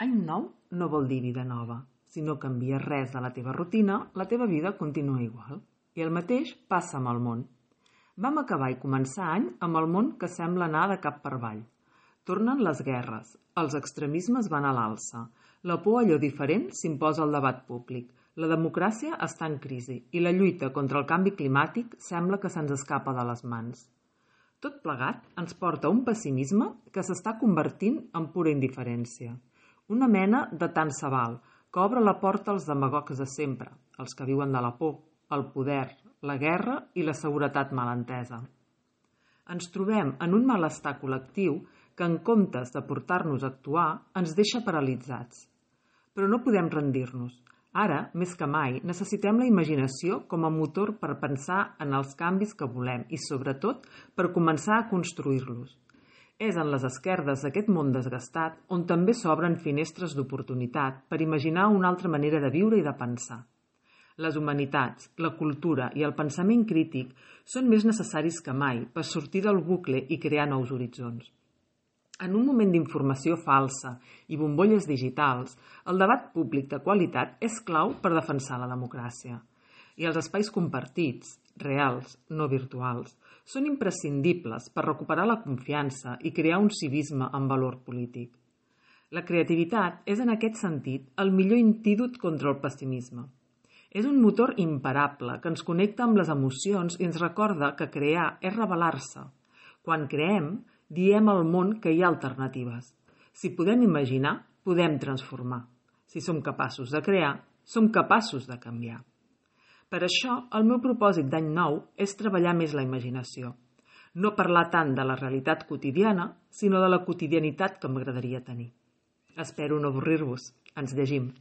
Any nou no vol dir vida nova. Si no canvies res de la teva rutina, la teva vida continua igual. I el mateix passa amb el món. Vam acabar i començar any amb el món que sembla anar de cap per avall. Tornen les guerres, els extremismes van a l'alça, la por a allò diferent s'imposa al debat públic, la democràcia està en crisi i la lluita contra el canvi climàtic sembla que se'ns escapa de les mans. Tot plegat ens porta a un pessimisme que s'està convertint en pura indiferència. Una mena de tant se val, que obre la porta als demagogs de sempre, els que viuen de la por, el poder, la guerra i la seguretat mal entesa. Ens trobem en un malestar col·lectiu que en comptes de portar-nos a actuar ens deixa paralitzats. Però no podem rendir-nos. Ara, més que mai, necessitem la imaginació com a motor per pensar en els canvis que volem i, sobretot, per començar a construir-los. És en les esquerdes d'aquest món desgastat on també s'obren finestres d'oportunitat per imaginar una altra manera de viure i de pensar. Les humanitats, la cultura i el pensament crític són més necessaris que mai per sortir del bucle i crear nous horitzons. En un moment d'informació falsa i bombolles digitals, el debat públic de qualitat és clau per defensar la democràcia. I els espais compartits, reals, no virtuals, són imprescindibles per recuperar la confiança i crear un civisme amb valor polític. La creativitat és en aquest sentit el millor antídot contra el pessimisme. És un motor imparable que ens connecta amb les emocions i ens recorda que crear és rebel·lar-se. Quan creem, diem al món que hi ha alternatives. Si podem imaginar, podem transformar. Si som capaços de crear, som capaços de canviar. Per això, el meu propòsit d'any nou és treballar més la imaginació. No parlar tant de la realitat quotidiana, sinó de la quotidianitat que m'agradaria tenir. Espero no avorrir-vos. Ens llegim.